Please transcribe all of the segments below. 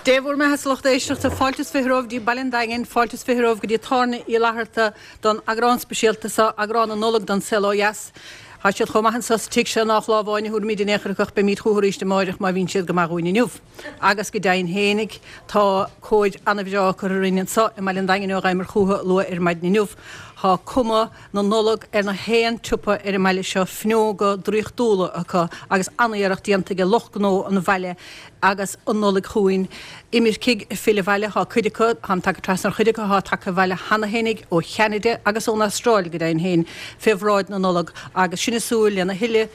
Dé bhur mbeatha a lucht éisteachta, fáilte is 20 romhaibh dtí Baile an Daingin, fáilte is 20 romhaibh go dtí Tábhairne Uí Fhlatharta don eagrán speisialta seo, eagrán na Nollag don Saol Ó Dheas. Tá siad chomh maith anso sa tigh seo nách lá amháin a thabharfaimid in aon chor acu ach beimid chucu arís amáireach má bhíonn siad go maith dhúinn inniu. Agus go deimhin fhéinig tá cóir ana-bhreá curtha orainn anso i mBaile an Daingin ó ghabhamar chucu luath ar maidin inniu. Tá cuma na Nollag ar na haon tsiopa ar an mbaile seo, fuinneoga draíochtúla acu agus an-iarracht déanta ag lucht gnó an bhaile agus an Nollaig chugainn. Imircigh ag filleadh abhaile, tá cuid acu, táim tagtha trasna ar chuid acu atá tagtha abhaile cheana fhéinig ó Cheanada agus ón Astráil go deimhin féin, fé bhráid na Nollag agus sinn ag súil lena thuilleadh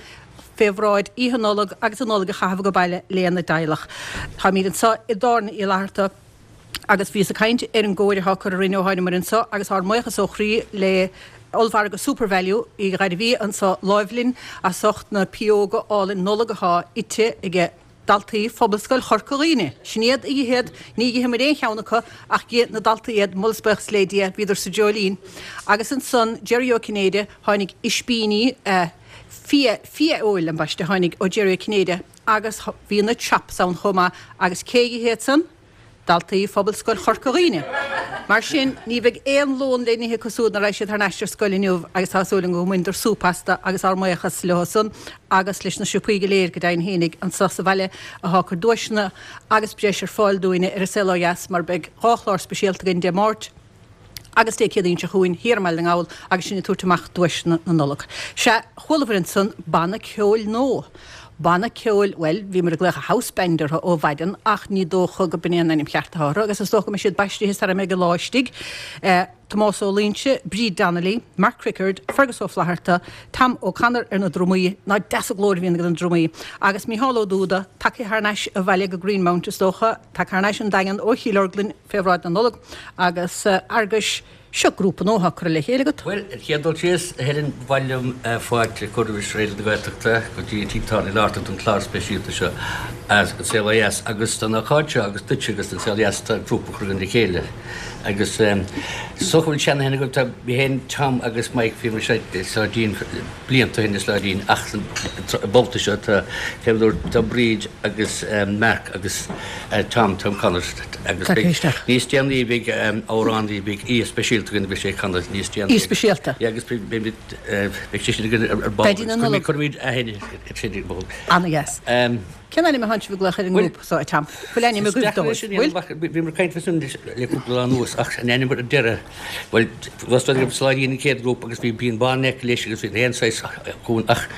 fé bhráid Oíche Nollag agus an Nollaig a chaitheamh acu baile lena dteaghlach. Táimid anseo i dTábhairne Uí Fhlatharta. Agus bhíos ag caint ar an gcóir atá curtha orainn ó thánamar anso agus ár mbuíochas ó chroí le ollmhargadh Supervalu i nGairbhí anso láimh linn as ucht na pióga álainn Nollag atá ite aige daltaí Phobalscoil Chorca Dhuibhne. Sin iad a d'ith iad, ní d'itheamar aon cheann acu ach d'ith na daltaí iad, moladh is buíochas le Dia, bhíodar sa dreoilín. Agus ansan Jerry Ó Cinnéide, tháinig ispíní, fia, fia-fheoil ambaiste, tháinig ó Jerry Ó Cinnéide, Agus bhí na chops ann chomh maith agus cé a d'ith iad san? Daltaí Phobalscoil Chorca Dhuibhne. Mar sin, ní bheidh aon lón le n-ithe acu súd nuair a raghaidh siad thar n-ais ar scoil inniu agus tá súil agam go mbaineadar súp astu agus ár mbuíochas leo san agus leis na siopaí go léir go deimhin fhéinig anso sa bhaile athá ag cur duaiseanna agus breis ar fáil dúinne ar An Saol Ó Dheas mar beidh 2 chlár speisialta againn Dé Máirt Agus Dé Céadaoin seo chugainn thiar i mBaile na nGall agus sinn ag tabhairt amach duaiseanna na Nollag. Sea, chualabhair ansan banna ceoil nua. Banna ceoil, bhuel, bhíomar ag glaoch a house band orthu ó mhaidin ach ní dócha go b'in é an ainm cheart atá orthu agus is dócha go mbeidh siad baistithe sara mbeidh an lá istigh. Tomás Ó Loingsigh, Bríd Donnelly, Mark Crickard, Fergus Ó Flatharta, Tom O'Connor ar na drumaí, nach deas an glór a bhíonn ag na drumaí, agus Mícheál Ó Dúda, tagtha thar n-ais abhaile go Greenmount is dócha, tagtha thar n-ais 'on Daingean ó Chill Orglan, Fé bhráid na Nollag agus Fhearghuis, seo grúpa nua atá curtha le chéile agat. Bhuel, an chéad dul síos, a Helen, ba mhaith liom fáilte a chur roimh Raidió na Gaeltachta go dtí an Tigh Tábhairne Uí Fhlatharta don chlár speisialta seo, An Saol Ó Dheas. Agus don ócáid seo, agus duitse agus don Saol Ó Dheas, tá grúpa curtha againn le chéile. Agus is dócha go bhfuil seanaithne agaibh, tá mé féin, Tom agus Mike, bhíomar ag seinm blianta ó shin i Sláidín ach an babhta seo tá, fé mar a dúirt, tá Bríd agus Mark agus Tom, Tom O'Connor agus beidh níos déanaí beidh amhránaí, beidh aoi speisialta againn beidh sé ag canadh níos déanaí. Aoi speisialta. Yeah agus beidh beidh sé sin againn ar ball. Daidí na Nollag. Cuirfimid aithne ar sin ar ball. Ana-dheas. Cén ainm a thánn sibh ag glaoch ar an ngrúpa so, a Tom? Bhfuil ainm agaibh dóibh? Bhfuil? Bhíomar ag caint faoi sin le cúpla lá anuas ach an ainm ar deireadh, bhuel, bhí Sláidín an chéad ghrúpa agus bhí Bean Bán in aice leis agus bhí aon saghas chugainn ach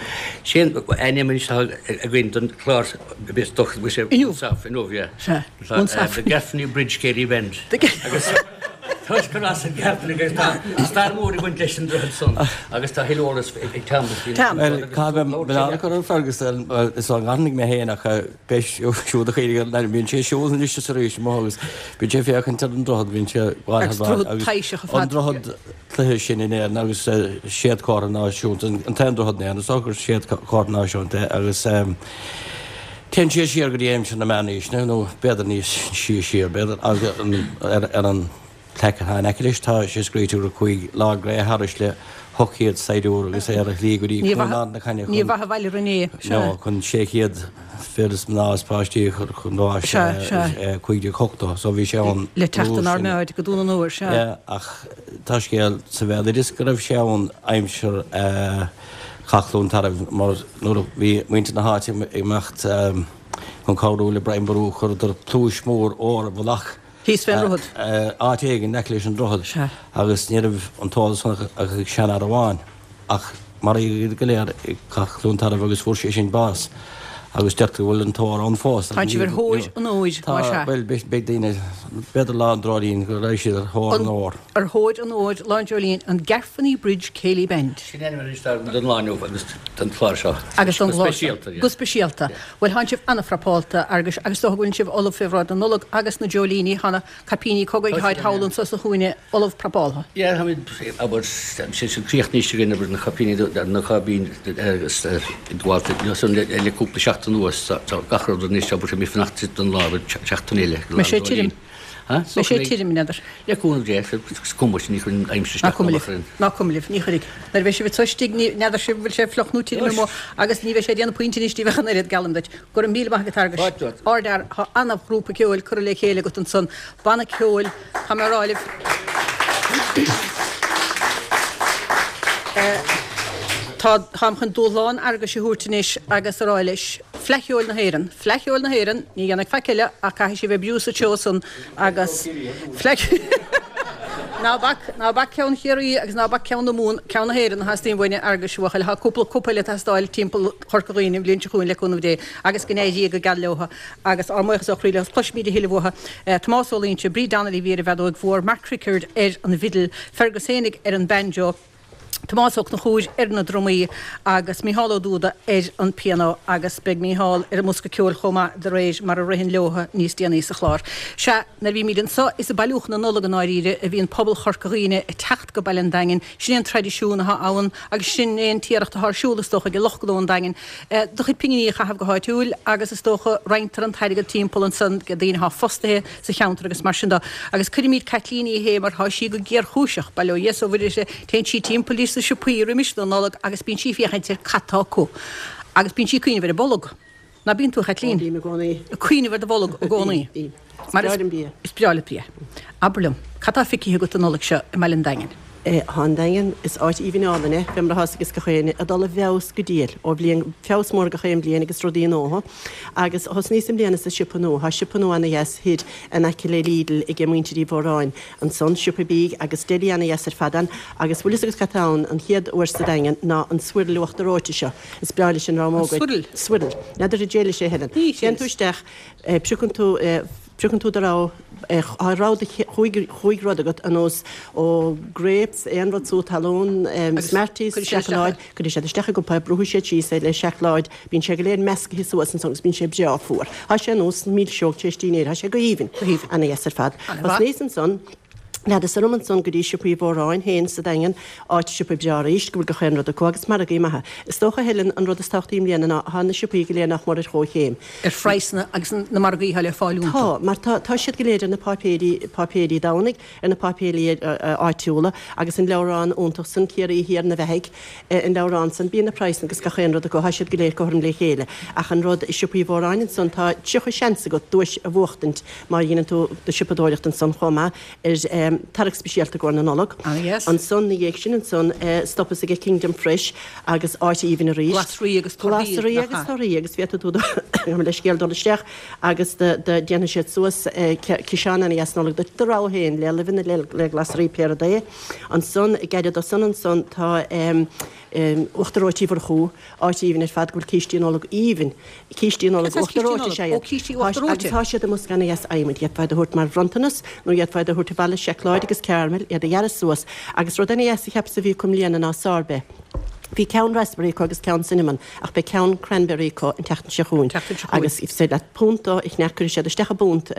sé an ainm anois atá againn don chlár is dócha go bhfuil sé Inniu. Inniu, yeah. Sea. The Gaffney Bridge Céilí Band. Agus toisc gur as an Gaffney agus tá stair mhór ag baint leis an droichead san agus tá thuilleadh eolas ag Tom. Tom. Bhuel, caithfidh mé milleán a chur ar Fergus, is ón nGairfeanaigh mé féin ach beidh siúd a chuirfidh an ainm, bíonn sé ag siúl anois is arís amuigh agus bíonn sé ag féachaint ar an droichead, bíonn sé ag Agus droichead taibhseach ar fad. An droichead cloiche sin in Éirinn agus séadchomhartha náisiúnta, an t-aon droichead in Éirinn is dócha gur séadchomhartha náisiúnta é agus téann sé siar go dtí aimsir na meánaoiseanna nó b'fhéidir níos sia siar b'fhéidir agus ar an plaic atá in aice leis tá sé scríte gur chuaigh Lord Grey thairis le 800 saighdiúir agus é ar a shlí go dtí Cluain Ard na Cainne chun Ní mhaith a bhaile rinne é. No, chun 600 fir is mná is páistí a chur chun báis i 1580 so bhí sé ann Le teacht an armáid go Dún an Óir, sea. Yeah, ach tá scéal sa bhéaloideas go raibh sé ann aimsir Chath Chluain Tarbh mar nuair a bhí muintir na háite ag imeacht chun cabhrú le Brian Boru chuireadar pluais mhór óir i bhfolach Thíos fén ndroichead. Áit éigin in aice leis an droichead. Sea. Agus ní raibh an t-eolas san ach ag seanfhear amháin. Ach maraíodh iad go léir i gCath Chluain Tarbh agus fuair sé sin bás. Agus deirtear go bhfuil an t-ór ann fós. Tá sibh ar thóir an óir, más ea. Tá, bhuel, beidh daoine, b'fhéidir Lá an Dreoilín go raibh siad ar thóir an óir. Ar thóir an óir, Lá an Dreoilín, an Garfaney Bridge Céilí Band. Sin ainm anois don lá inniu agus don chlár seo. Agus don chlár seo. Go speisialta. Bhuel, thánn sibh an-phrapálta, Fhearghuis, agus is dócha go bhfuileann sibh ullamh fé bhráid na Nollag agus na dreoilíní, tá na caipíní cogaidh tháid thall anso sa chúinne ullamh prapáltha. Yeah, táimid, abair, sé sin críochnaithe againn, abair, na caipíní, na cáibín agus gabhálta san le cúpla seachtain anuas, tá gach rud anois, abair, táimid ag fanacht don lá, abair, seachtain eile. Beidh sé tirim. Ha? Beidh sé tirim, n'fheadar. Le cúnamh Dé, is cuma sin, ní chuireann an aimsir Ná isteach cuma ná libh. amach orainn. Ná cuma libh, ní chuirfidh. Nuair a bheidh sibh anso istigh, ní, n'fheadar sibh an bhfuil sé fliuch nó tirim amuigh agus ní bheidh sé ag déanamh pointe anois daoibh ach an oiread, geallaim duit. Go raibh míle maith agat, Fhearghuis. Fáilte romhat. Ardfhear, tá ana-ghrúpa ceoil curtha le chéile agat ansan. Banna ceoil, tá mé a rá libh. Tá, táim chun dúshlán Fhearghuis a thabhairt anois agus a rá leis, Fleadh Cheoil na hÉireann, Fleadh Cheoil na hÉireann, ní dhéanfaidh faic eile ach caithfidh sibh oibriú sa treo san agus Fleadh Ná bac, ná bac ceann Chiarraí agus ná bac ceann na Mumhan, ceann na hÉireann a theastaíonn uainn, a Fhearghuis, a bhuachaill. Tá cúpla cupa eile ag teastáil timpeall Chorca Dhuibhne an bhliain seo chugainn le cúnamh Dé agus go n-éirí go geal leotha agus ár mbuíochas ó chroí leo. Cloisfimid a thuilleadh uathu. Tomás Ó Loingsigh, Bríd Donnelly a bhí ar an bhfeadóig mhór, Mark Rickard ar an bhfidil, Fergus fhéinig ar an banjo, Tomás Ó Conchúir ar na drumaí agus Mícheál Ó Dúda ar an pianó agus beidh Mícheál ar an mbosca ceoil chomh maith de réir mar a ritheann leotha níos déanaí sa chlár. Sea, nuair a bhímid anso is ag bailiú chun na Nollag i ndáiríre a bhíonn pobal Chorca Dhuibhne ag teacht go Baile an Daingin, sin é an traidisiún atá ann agus sin é an t-iarracht atá ar siúl is dócha ag lucht gnó an Daingin do chuid pinginí a chaitheamh go háitiúil agus is dócha roinntear an t-airgead timpeall ansan go daoine atá fostaithe sa cheantar agus mar sin de. Agus cuirimid Caitlín Uí Shé mar tá sí go géarchúiseach, bail ó Dhia is ó Mhuire uirthi, téann sí timpeall dtí sna siopaí roimis na Nollag agus bíonn sí ag féachaint ar cad tá acu. Agus bíonn sí ag cuimhneamh ar an bolg. Ná bíonn tú, a Chaitlín? Ó, bím i gcónaí. Ag cuimhneamh ar do bholg i gcónaí. Bím, bím. Is breá liom bia. Is breá leat bia. Abair liom, cad tá feicthe agat an Nollaig seo i mBaile an Daingin? Tá an Daingean, is áit aoibhinn álainn é, fé mar atá's ages gach éinne, ag dul i bhfeabhas go diail ó bhliain, feabhas mór gach aon bhliain agus rudaí nua. Agus thosnaíos i mbliana sa siopa nua, tá siopa nua ana-dheas thoir in aice le Lidl ag muintir Uí Mhóráin ansan, siopa bídh agus deli ana-dheas ar fad ann agus bhfuil fhios agat cad tá ann an chéad uair sa Daingean ná an swirl uachtar reoite seo. Is breá leis an dream óg é. An swirl? Swirl. N'fheadar an dté leis é a Helen. Téann tú isteach, piocann tú, Piocann tú do rogha, tá rogha de chúig, chúig rud agat ar nós ó grapes, aon rud sú talún, Smarties, seacláid, cuirfidh siad isteach i gcupa é, brúfaidh siad síos é le seacláid, bíonn sé go léir meascaithe suas ansan agus bíonn sé breá fuar. Tá sé ar nós milseog tar éis dinnéir, tá sé go haoibhinn, ana-dheas ar fad. Thosnaíos ansan, Leanas orm ansan go dtí siopa Uí Mhóráin féin sa Daingean, áit siopa breá arís, go bhfuil gach aon rud acu agus margaí maithe. Is dócha, a Helen, an rud is tábhachtaí i mbliana ná tá na siopaí go léir nach mór ar chomhchéim. Ar phraghsanna agus na margaí atá le fáil iontu. Tá, mar tá, tá siad go léir ar na páipéirí, páipéirí Domhnaigh, ar na páipéirí áitiúla agus an leabhrán iontach san, Ciarraí Thiar na Beathaigh, an leabhrán san, bíonn na praghsanna agus gach aon rud acu, tá siad go léir cothrom le chéile. Ach an rud i siopa Uí Mhóráin ansan, tá 30 seans agat duais a bhuachtaint má dheineann tú do shiopadóireacht ansan chomh maith ar tarrac speisialta i gcomhair na Nollag. Ansan, 'na dhiaidh sin ansan, stopas ag Kingdom Fresh agus áit aoibhinn arís. Glasraí agus torthaí, Glasraí agus torthaí agus féadfaidh tú gabh mo leithscéal dul isteach agus déanfaidh siad suas ciseán ana-dheas Nollag duit, do rogha féin, le luibheanna, le glasraí, pé rud é. Ansan, gairid ó san ansan tá Uachtar Reoite Uí Mhurchú, áit aoibhinn ar fad go bhfuil cístí Nollag aoibhinn. Cístí Nollag uachtar reoite is ea iad. Agus tá siad i mbosca ana-dheas adhmaid. D'fhéadfá iad a thabhairt mar bhronntanas nó d'fhéadfá iad a thabhairt abhaile, seacláid agus caramel, iad a ghearradh suas. Agus rud ana-dheas a cheapas a bhí acu i mbliana ná sorbet. Bhí ceann raspberry acu agus ceann cinnamon ach beidh ceann cranberry acu an tseachtain seo chugainn. Agus is féidir leat punt a cheannach, cuirfidh siad isteach i bpunt,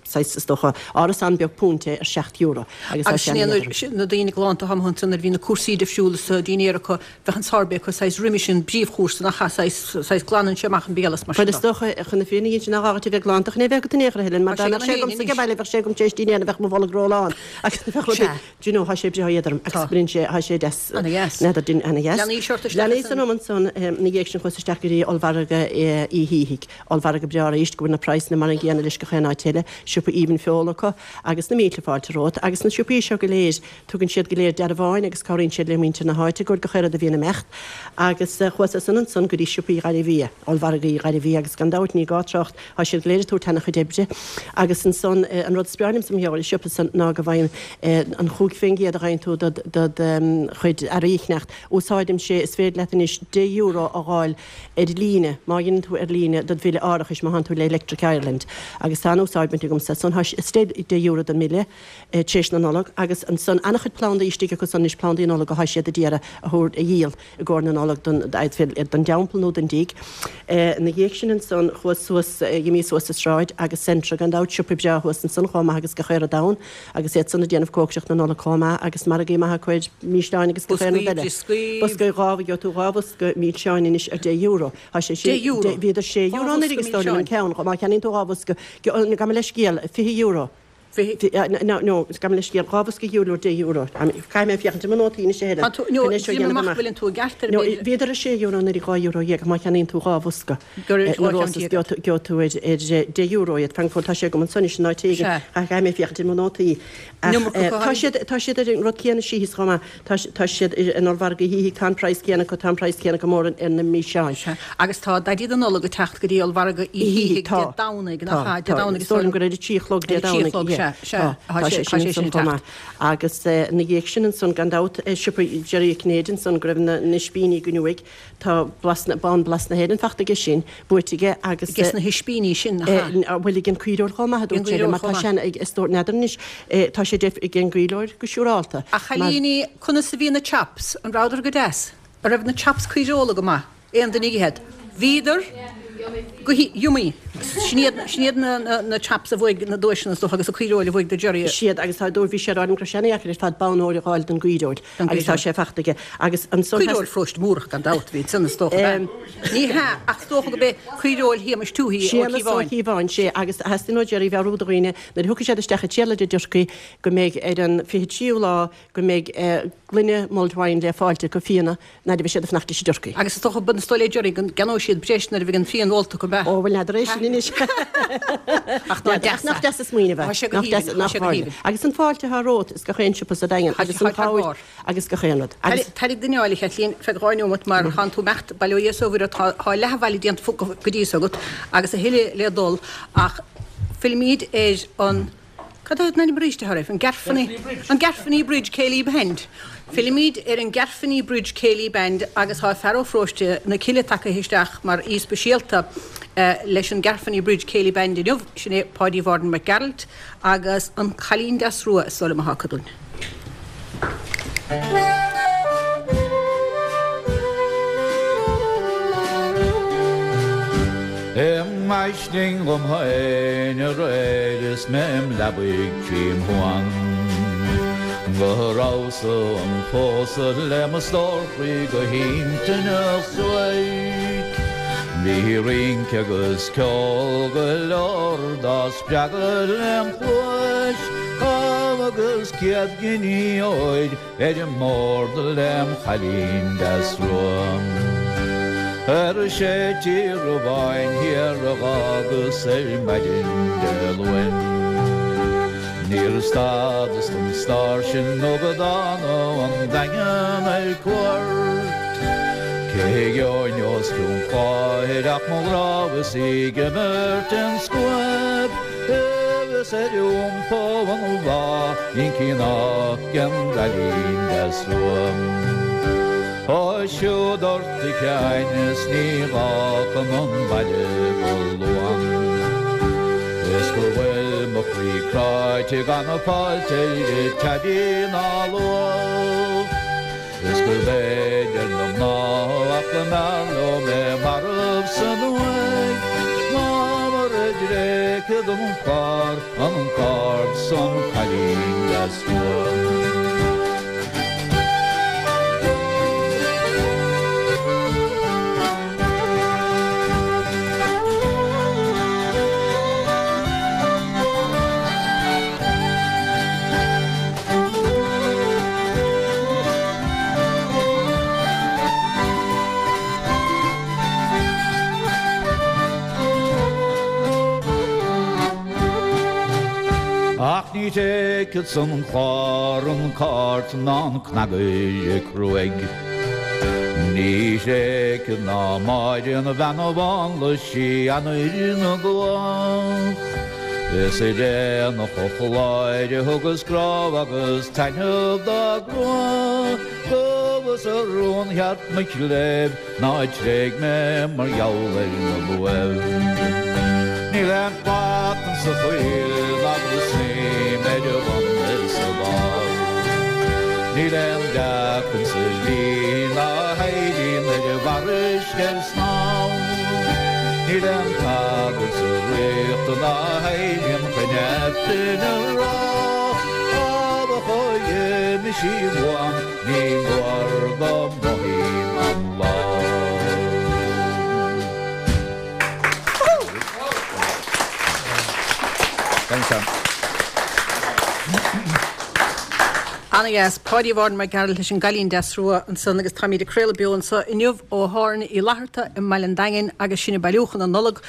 saghas is dócha, árasán beag punt é ar €7. Agus tá sé ana-éadrom. Na daoine galánta atá amuigh ansan nuair a bhí na cúrsaí difriúla sa dinnéar acu, bheadh an sorbet acu saghas roimis an bpríomhchúrsa nach ea, saghas, saghas glanann sé amach an béal is mar sin Bhuel is de. dócha, chun na fírinne a inse nach gá duit a bheith glanta chun é a bheith agat in aon chor a Helen, mar Tá dá sé mbeadh agam sé féin agamsa ag anois. baile bheadh sé agam tar éis dinnéir bheadh mo bholg rólán agus bheadh rudaí, Sea. do you know, tá sé breá éadrom agus Tá. bíonn sé, tá sé deas. Ana-dheas. N'fheadar din, ana-dheas. Leanaís ort isteach Leanaís ansan. orm ansan, ina dhiaidh sin chuas isteach go dtí ollmhargadh Uí Shíthigh, ollmhargadh breá arís go bhfuil na praghsanna mar an gcéanna leis gach aon áit eile, siopa aoibhinn feola acu agus na mílte fáilte romhat agus na siopaí seo go léir, Tugann siad go léir dearbháin agus cabhraíonn siad le muintir na háite go gach aon rud a bhíonn ag imeacht. Agus chuas as san ansan go dtí siopaí Ghairbhia, ollmhargaí Ghairbhia agus gan dabht ní gá trácht, tá siad go léir ag tabhairt ana-chuid oibre. Agus ansan an rud is breá liomsa mar gheall ar an siopa san ná go bhfaighim an 5% a gheibheann tú dod chuid earraí a cheannacht. Úsáidim sé, is féidir leat anois €10 a dh'fháil ar líne, má dheineann tú ar líne dod bhille árachais, má thánn tú le Electric Ireland. Agus tá an-úsáid bainte agamsa as san, tá sé €10 don mbille. tar éis na Nollag agus ansan ana-chuid plandaí istigh acu san anois, plandaí Nollag athá siad a d'iarraidh a thabhairt, a dhíol i gcomhair na Nollag don, don dteampall nó don dtigh. Ina dhiaidh sin ansan chuas suas, dh'imíos suas an sráid agus Centra gan dabht, siopa breá thuas ansan chomh maith agus gach aon rud ann agus iad san ag déanamh cócaireacht na Nollag chomh maith agus margaí maithe acu ar mhísleáin agus gach aon rud Boscaí, eile. brioscaí. Boscaí, dhá, gheobhaidh tú dhá bhosca milseáin anois ar deich euro. Tá sé sin, Deich euro? bhíodar sé Dhá euro anuraidh bhosca is dóigh liom an milseáin. ceann, má cheannaíonn tú dhá bhosca, gabh mo leithscéal, €20. Bhí. No, no, gabh mo leithscéal, 2 bhosca ghiúirleoir €10. Caithfidh mé féachaint ar mo nótaí anois a Helen. Tá tú, no, déanaim amach go bhfuileann tú i gceart ar No, bhíodar ar €6 anuraidh, €12 ach má cheannaíonn tú 2 bhosca na Rosas gheobhaidh tú ar €10 iad. Fan go fóill, tá sé agam ansan anois in áit éigin. Caithfidh mé féachaint ar mo nótaí. Ach tá siad, tá siad ar an rud céanna síos chomh maith. Tá, tá siad in Ollmhargadh Uí Shíthigh, tá an praghas céanna acu, tá an praghas céanna acu mór ar na milseáin. Sea. Agus tá Daidí na Nollag ag teacht go dtí Ollmhargadh Uí Shíthigh Dé Domhnaigh, nach ea? Dé Domhnaigh is dóigh liom gur ar a trí a chlog Dé Domhnaigh. Ar a trí a chlog, sea, sea. Tá sé, tá sé sin ag teacht. Agus ina dhiaidh sin ansan, gan dabht, siopa Jerry Uí Chinnéide ansan go raibh na ispíní againn uaidh, Tá blas na, bonn Blas na hÉireann fachta aige sin, buaite aige agus. Aige sna hispíní sin, nach ea? Bhuel, ag an caoireoir chomh maith, a dúirt sé liom, mar tá sé ag, is dóigh, n'fheadar anois, tá sé ag an gcaoireoir go siúrálta. A chailíní, conas a bhí na chops? An rabhadar go deas? An raibh na chops caoireola go maith? Aon duine ag ithe? Bhíodar go h-yummy. Sin iad, sin iad na, na chops a bhuaigh na duaiseanna is dócha agus an caoireoil a bhuaigh do Jerry. Siad agus tá, dúirt, bhí sé ag rá liom go raibh sé ana-dheacair ar fad bonn óir a dh'fháil don gcaoireoil. Agus tá sé fachta aige. Agus ansan. Caoireoil Pharóiste Múrach gan dabht a bhí ansan is dócha, ab ea? Ní hea, ach is dócha gurb é caoireoil Shéamais Tuohy Ó Séamas Ó Cíobháin. Cíobháin, sea. Agus theastaigh ó Jerry mheabhrú do dhaoine nuair a thiocfaidh siad isteach ag triail ar an dturcaí go mbeidh ar an 23ú lá go mbeidh gloine mulled wine le fáilt acu fíona nuair a bheidh siad ag fanacht leis an dturcaí. Agus is dócha, is dóigh le Jerry go gceannóidh siad breis nuair a bheidh an fíon ólta acu, ab ea? Ó, bhuel, n'fheadar é sin anois. Ach ná deas Nach deas an smaoineamh é. Tá sé go haoibhinn, tá sé go haoibhinn. Agus an fáilte atá romhat is gach aon siopa sa Daingean agus an chabhair agus gach aon rud. Agus. Tar duine eile, a Chaitlín, feadh 2 neomat mar tánn tú imeacht, bail ó Dhia is ó Mhuire ort, tá leath an bhaile déanta go dtí so agat agus a thuilleadh le dul ach fillfimid ar an Cad é an ainm arís atá air? An Garfanny, an Garfanny Bridge Céilí Band. Fillimid ar an Garfanny Bridge Céilí Band agus tá fear ó Pharóiste na Cille tagtha isteach mar aoi speisialta leis an Garfanny Bridge Céilí Band inniu, sin é Páidí Mháirín Mac Gearailt agus an Cailín Deas Rua is dóigh liom atá acu dúinn. I m'aisling dhom féin aréir is mé im leabaidh tchím thuan Go rabhas-sa 'om phósadh le mo stór chroí go hintinneach suairc Bhí rince agus ceol go leor dá spreagadh lem chluais Agus 100 giní óir ar an mbord lem chailín deas rua. Ar sé Tír amháin thiar a dh'fhágas ar maidin Dé Luain. Níor stadas don stáirsean nó go dtána 'on Daingean ar cuairt. Cé gheobhainn os cionn cláir ach mo ghrá is í ag imirt an scuab. Is ar iompó an lá incí ná den gcailín deas rua. Ó siúd ort a Sheáin is ní gá chun an bhaile go luan. Is go bhfuil mo chroí cráite gan fáilte ar teibí ná luamh. Is gurb fhéidir na mná ach go mb'fhearr leo mé marbh san uaigh ná mar a dtréigfead an clár, an cárd 's an cailín deas rua. Ach ní thréigfeadsa an clár, an cairt ná an cnagaire cruaidh. Ní thréigfead ná Máire an bhean mhánla sí anoir na gcuach. Is ar aonach an Chláir a thugas grá agus taitneamh dá grá, Gabhas a rún cheart mo chléibh ná tréig mé mar gheall ar na luaimh. Níl aon shlat insa choill ná go snoím ar a bhun is a bharr. Níl aon leac insa shlí ná héiríonn ar an bhfarraige ar snámh. Níl aon tagairt sa ríocht ná héiríonn chun Aifrinn a rá. Áfach ó d'imigh sí uaim ní mór go mothaím an lá. Thanks, Sam. Ana dheas. Páidí Mháirín Mac Gearailt leis an gCailín Deas Rua ansan agus táimíd ag craoladh beo anso inniu ó Thábhairne Uí Fhlatharta i mBaile an Daingin agus sin ag bailiúchán na Nollag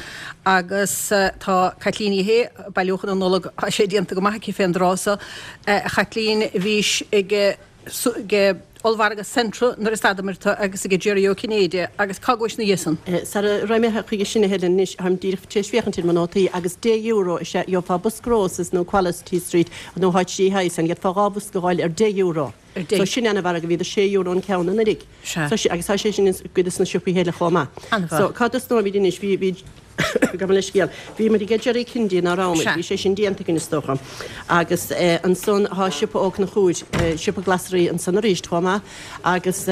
agus tá Caitlín Ní Shé bailiúchán na Nollag tá sé déanta go maith aici fén dtráth so. A Chaitlín bhís ag ag Ollmhargadh Centra nuair a stadamair tu agus ag Jerry Ó Cinnéide agus cá gcuais ina dhiaidh san? Sara raghaidh mé chuige sin a Helen anois, táim díreach tar éis féachaint ar mo nótaí agus deich euro is ea gheofá bosca Roses nó Quality Street nó áit de shaghas san, gheofá 2 bhosca a dh'fháil ar deich euro. So sin ana-mhargadh, bhíodar sé euro an ceann anuraidh. So sin, agus tá sé sin i gcuid de na siopaí eile chomh maith. So cá dtosnóimid anois? Bhí, bhí, gabh mo leithscéal, bhí muid ag Jerry Kennedy ná raibh muid? Bhí sé sin déanta againn is dócha. Agus ansan tá siopa Ó Conchúir, siopa glasraí ansan arís chomh maith agus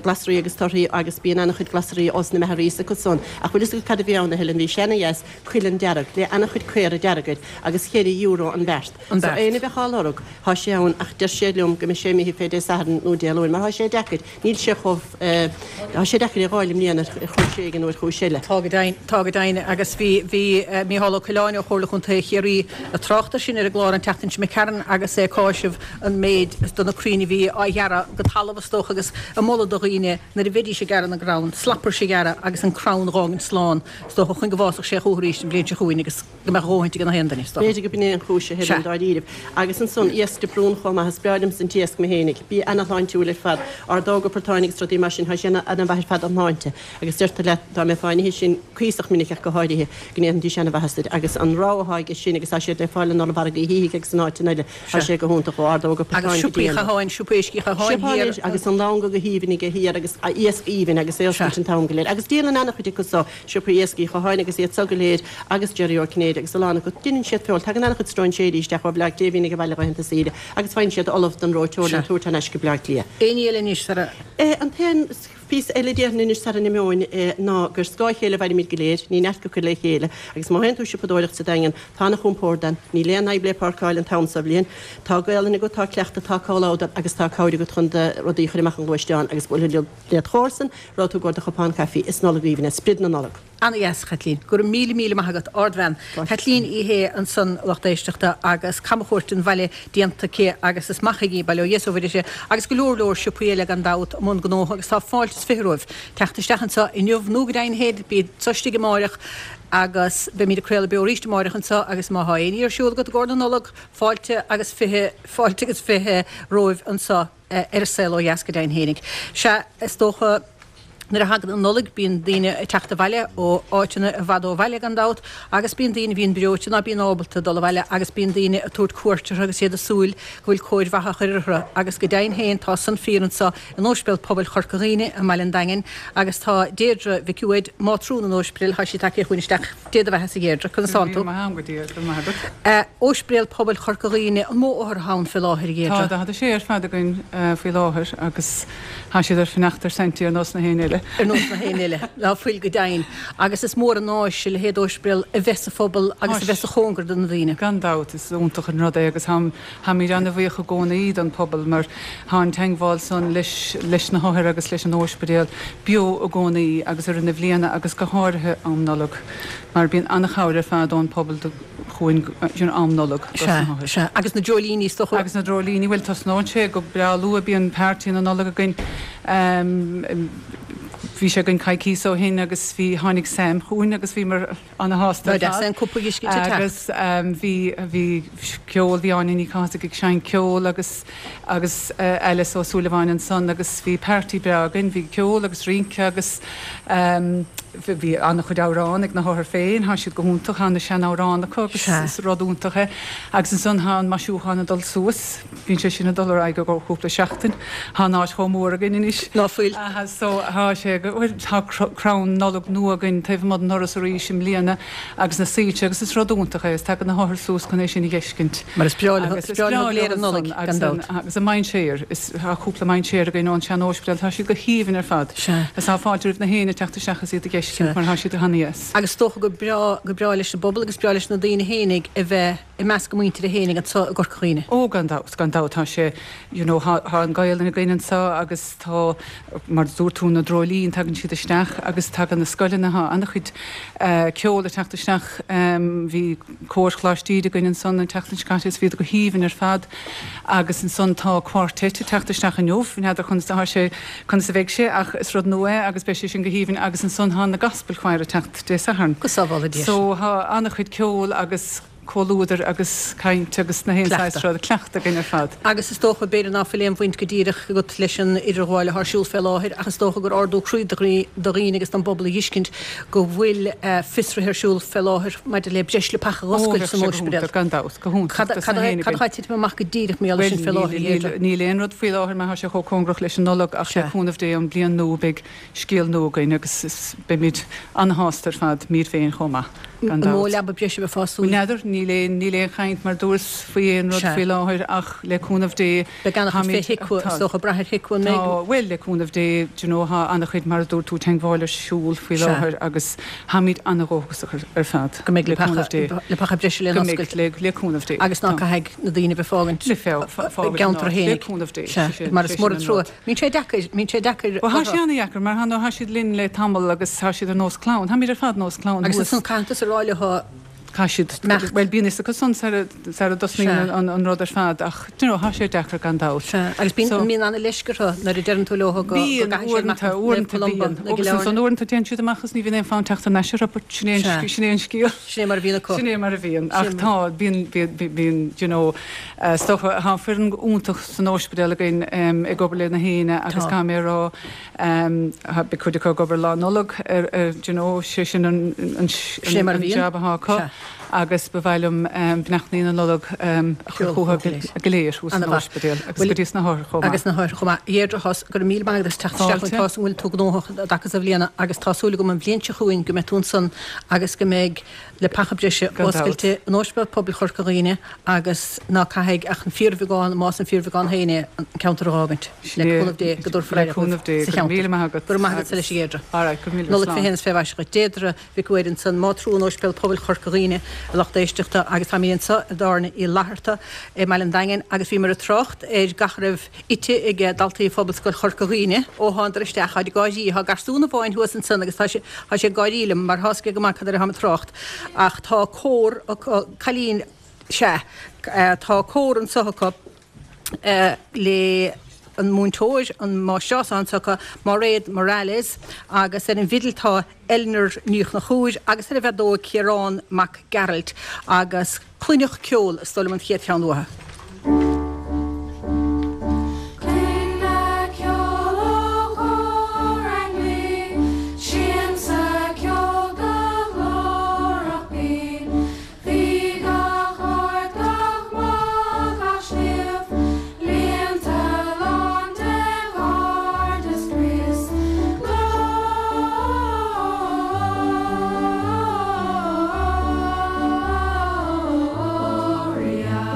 glasraí agus torthaí agus bíonn ana-chuid glasraí ós na Magherays acu san. Ach bhfuil fhios agat cad a bhí ann a Helen? Bhí sé ana-dheas, cuileann dearg, le ana-chuid caora dearg air agus cheithre euro an beart. An So beart. éinne a bheadh á lorg, thá sé ann ach deir sé liom go mbeidh sé imithe fé Dé Sathairn nó Dé Luain mar thá sé deacair, níl sé chomh, thá sé deacair é a dh'fháil i mbliana ar chúis éigin nó ar chúis eile. Tá go deimhin, tá go deimhin agus bhí, bhí Mícheál Ó Coileáin ó Chomhairle Chontae Chiarraí ag trácht air sin ar an gclár an tseachtain seo imigh tharainn agus é ag cáiseamh an méid de na crainn a bhí á ghearradh go talamh is dócha agus ag moladh do dhaoine nuair a bheidís ag gearradh na gcrann, slaprais a ghearradh agus an crann dh'fhágaint slán is dócha chun go bhfásfadh sé chúthu arís an bhliain seo chugainn agus go mbeadh a dhóthaint ag gach aon duine, is dócha. B'fhéidir go b'in é an chúis a Helen, dáiríribh. Agus ansan, iasc de Brún chomh maith, is breá liomsa an t-iasc mé fhéinig. Bia ana-shláintiúil ar fad. Ordóga portáin agus rudaí mar sin, thá sé ana-mhaith ar fad don shláinte. Agus deirtear leat, dá mbeifeá á n-ithe sin cuíosach minic ach go háirithe, go ndéanfaidís ana-mhaitheas duit. Agus an rogha athá aige sin, agus tá siad le fáil in ollmhargadh Uí Shíthigh agus in áiteanna eile, thá sé go hiontach, ó ordóga Agus portáin go siopaí dtí an. Chatháin, siopa éisc Uí Chatháin Siopa thiar. anois agus an longa go haoibhinn aige thiar agus iasc aoibhinn agus é oscailte an t-am go léir. Agus díolann ana-chuid acu so. Siopaí Iasc Uí Chatháin agus iad so go léir agus Jerry Ó Cinnéide agus a lán acu. Deineann siad feoil. Tagann an-chuid stróinséirí isteach ó Bhleá Cliath a bhíonn ag an bhaile laethanta saoire agus faigheann siad ullamh don reoiteoir le tabhairt thar n-ais go Bleá Cliath. Éinní eile anois sara. An t-aon phíosa eile déarfainn anois sara n-imeoinn ná gur scáth a chéile a mhairimid go léir, ní neart go cur le chéile agus má théann tú siopadóireacht sa Daingean tá ana-chompord ann, níl aon fhadhb le páirceáil an t-am so bhliain, tá Gaolainn agat, tá cleachtadh, tá comhluadar agus tá cabhair agat chun do rudaí a chur amach an ghluaisteán agus buailfidh led chomharsan Raibh tú i gcomhair do chupán caife, is Nollaig aoibhinn é, sprid na Nollag. Ana-dheas, a Chaitlín. Go raibh míle míle maith agat. Ardbhean. Caitlín Uí Shé ansan, lucht éisteachta, agus camchuairt den bhaile déanta aici agus is maith chuige bail ó Dhia is ó Mhuire uirthi agus go leor leor siopaí eile gan dabht i mbun gnótha agus tá fáilte is 20 romhaibh teacht isteach anseo inniu nó go deimhin féin bí anseo istigh amáireach agus beimid ag craoladh beo arís amáireach anseo agus má thá éinní ar siúl agat i gcomhair na Nollag fáilte agus 20 fáilte agus 20 romhaibh anseo. ar An Saol Ó Dheas go deimhin fhéinig. Sea, is dócha, nuair a thagann an Nollaig bíonn daoine ag teacht abhaile ó áiteanna i bhfad ó bhaile gan dabht agus bíonn daoine a bhíonn breoite ná bíonn ábalta dul abhaile agus bíonn daoine ag tabhairt cuairt orthu agus iad ag súil go bhfuil cóir mhaith á chur orthu agus go deimhin féin tá san fíor anseo in Ospidéal Pobail Chorca Dhuibhne i mBaile an Daingin agus tá Deirdre Mhic Uaid, mátrún an Ospidéil, tá sí tagtha chugainn isteach. Dé do bheatha-sa a Dheirdre, conas tánn tú? Go raibh míle maith a'm, go dtí, go raibh maith agat. Ospidéal Pobail Chorca Dhuibhne, an mó othar atá ann fé láthair, a Dheirdre? Tá 46 ar fad againn faoi láthair agus tá siad ar fanacht ar Saintí ar nós na héinne eile. Ar nós na héinne eile, ná fuil go deimhin. Agus is mór an áis a leithéid d'ospidéal a bheith sa phobal agus a bheith sa chóngar do na daoine. Gan dabht, is iontach an rud é agus táimid an-bhuíoch i gcónaí don phobal mar tá an teagmháil san leis leis na hothair agus leis an óispidéal beo i gcónaí agus i rith na bhliana agus go háirithe am Nollag mar bíonn an-chabhair ar fad ón pobal do chugainn you know am Nollag dos na Sea, hothair. sea. Agus na dreoilíní is dócha. Agus na dreoilíní, bhuel tosnóidh sé go breá luath, bíonn party na Nollag againn. Bhí sé againn coicíos ó shin agus bhí, tháinig Sam chugainn agus bhíomar, Ana-shásta ar fad. An cupa uisce te teacht. Agus bhí, bhí ceol, bhí Áine Ní Chathasaigh ag seinnt ceoil agus, agus Alice Ó Súilleabháin ansan agus bhí party breá againn, bhí ceol agus rince agus bhí an-chuid amhrán ag na hothair féin, thá siad go hiontach, thá na sean-amhráin acu agus is rud iontach é. Agus ansan thá an maisiúchán ag dul suas. Bíonn sé sin ag dul ar aghaidh i gcomhair cúpla seachtain. Tá an áit chomh mór againn anois. Ná fuil. So tá sé, bhuel, tá crann Nollag nua againn taobh amuigh den ndoras arís i mbliana agus na soilse agus is rud iontach é agus tagann na hothair suas chun é sin a dh'fheiscint. Mar is breá leo, is breá leo go léir an Nollaig, gan dabht. Agus an mainséar, is tá cúpla mainséar againn ón sean-óispidéal, tá siad go haoibhinn ar fad. Sea. Is tá fáilte roimh na héinne teacht isteach is iad a dh'fheiscint mar tá siad ana-dheas. Agus is dócha gur breá, gur breá leis an bpobal agus breá leis na daoine fhéinig a bheith i measc a muintire fhéinig anso i gCorca Dhuibhne. Ó, gan dabht, gan dabht, tá sé, you know, tá an Gaolainn againn anso agus tá, mar a dúirt tú, na dreoilíní. tagann siad isteach agus tagann na scoileanna, tá an-chuid ceol ag teacht isteach. Bhí cór Choláiste Íde againn ansan an tseachtain seo caite agus bhíodar go haoibhinn ar fad agus ansan tá quartet ag teacht isteach inniu, n'fheadar conas atá sé, conas a bheidh sé ach is rud nua é agus beidh sé sin go haoibhinn agus ansan tá na Gospel Choir ag teacht Dé Sathairn. Go sábhála Dia sinn. So tá an-chuid ceoil agus. comhluadar agus caint agus na haon saghas rud, cleachtadh againn ar fad. Agus is dócha, b'fhéidir ná fuil aon bhaint go díreach agat leis an idirghabháil atá ar siúl fé láthair ach is dócha gur ardú croí do dhaoine agus don bpobal a dh'fheiscint go bhfuil fiosruithe ar siúl fé láthair maidir le breis leapacha dh'oscailt san óispidéal. Gan dabht, go hiontach. Cad atá ag titim amach go díreach mar gheall air sin fé láthair, a Dheirdre? Níl aon rud faoi láthair mar tá sé chomh cóngarach leis an Nollaig ach le cúnamh Dé an bhliain nua beidh scéal nua againn agus beimid an-shásta ar fad, muid féin chomh maith, gan dabht. An mó leaba breise a bheifeá ag súil? N'fheadar, níl aon, níl aon chaint mar dúras faoi aon rud faoi láthair ach le cúnamh Dé, Beidh an-chuid fé HIQA, is dócha, brath ar HIQA an mbeidh? Tá, bhuel, le cúnamh Dé, do you know, tá an-chuid, mar a dúirt tú, teagmháil ar siúl faoi láthair agus táimid an-dhóchasach ar fad, Go mbeidh le cúnamh Dé. Leapacha breise le Go mbeidh, le, le cúnamh Dé. Agus ná caithfidh na daoine bheith fágaint Le fágaint gceantar féin. Le cúnamh Dé. Sea, mar is mór an trua. Bíonn sé deacair, bíonn sé deacair Bhuel, tá sé ana-dheacair mar tá, tá siad linn le tamall agus tá siad ar nós clann. Táimid ar fad nós clann Agus thuas. ansan caithfidh tusa a rá leo Caithfidh siad, imeacht. bhuel, bíonn fhios acu san sara, sara dtosnaíonn an, an rud ar fad ach, do you know, tá sé deacair gan dabht. Sea, agus bíonn, So. bíonn ana-leisce orthu nuair a deireann tú leo go, go Bíonn, gcaithfidh siad uaireanta, imeacht Naomh uaireanta Columba bíonn. nó Agus gCill ansan Airne. uaireanta téann siad amach agus ní bhíonn aon fonn teacht thar n-ais orthu but sin é an, Sea. sin é an scéal. Sin é mar a bhíonn acu. Sin é mar a bhíonn. Sin Ach mar. tá, bíonn, bíonn, bíonn, do you know, Is dócha, tá foireann iontach san óispidéal againn ag obair le na héinne agus caithfidh mé a rá, beidh cuid acu ag obair Lá Nollag ar, do you know, sé sin an jab atá acu agus ba mhaith liom beannachtaí na Nollag a chur chucu go léir thuas san óispidéal agus go dtí sna hothair chomh maith. Agus na hothair chomh maith. A Dheirdre, go raibh míle maith agat as teacht isteach chugainn, tá 'fhios a'm go bhfuil tú gnóthach i dtaca sa bhliana agus tá súil agam an bhliain seo chugainn go mbeidh tú ansan agus go mbeidh leapacha breise oscailte in Ospidéal Pobail Chorca Dhuibhne agus ná caithfidh ach an fíorbheagán, más an fíorbheagán féin é, an ceantar a dh'fhágaint. Le cúnamh Dé go dtabharfar aire dóibh sa cheantar. Go raibh maith agat anois a Dheirdre. Nollaig fé shéan is fé mhaise dhuit. Deirdre Mhic Uidhir ansan, mátrún Ospidéal Pobail Chorca Dhuibhne, a lucht éisteachta, agus táimid anso i dTábhairne Uí Fhlatharta i mBaile an Daingin agus bhíomar ag trácht ar gach a raibh ite ag daltaí Phobalscoil Chorca Dhuibhne ó thánadar isteach. Táid ag gáirí. Tá garsún amháin thuas ansan agus tá sé, tá sé ag gáirí liom mar tá's aige go maith cad air atáim ag trácht. Ach tá cór acu, cailín, sea, tá cór anso acu le an múinteoir, an máistreás atá anso acu, Máiréad Morales, agus ar an bhfidil tá Eleanor Ní Chonchúir agus ar an bhfeadóig Ciarán Mac Gearailt agus Cluineadh Ceol is dóigh liom an chéad cheann uathu. Cluineadh ceol ó chór ainglí, siansa ceol go glórach binn. Bhí gach ard, gach magh, gach sliabh, líonta lán de ghairdeas Chríost. Gloria.